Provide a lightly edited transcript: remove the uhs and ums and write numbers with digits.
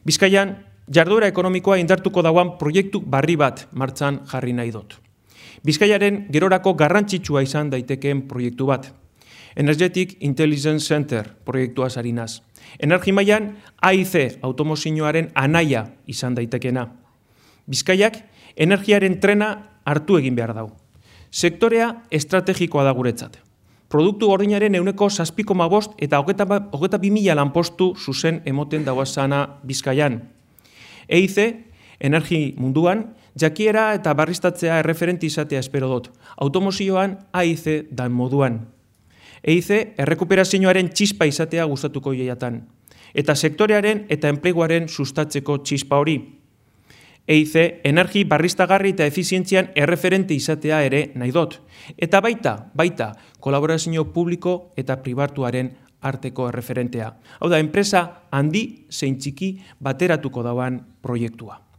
Bizkaian, jarduera ekonomikoa indartuko dauan proiektu barri bat martxan jarri nahi dut. Bizkaiaren gerorako garrantzitsua izan daitekeen proiektu bat. Energetic Intelligence Center proiektua sarinaz. Energimailan AIC automozioaren anaia izan daitekena. Bizkaiak energiaren trena hartu egin behar dau. Sektorea estrategikoa da guretzat. Produktu gordinaren 7,5 eta 22.000 lanpostu zuzen emoten dauazana Bizkaian. EIC, energi munduan, jakiera eta barriztatzea erreferenti izatea espero dut. Automozioan AIC dan moduan. EIC errekuperazioaren txispa izatea gustatuko jaiatan. Eta sektorearen eta enpleguaren sustatzeko txispa hori. EIC energi barriztagarri eta efizientzian erreferente izatea ere nahi dut. Eta baita, kolaborazio publiko eta pribatuaren arteko erreferentea. Hau da, enpresa handi zein txiki bateratuko dauan proiektua.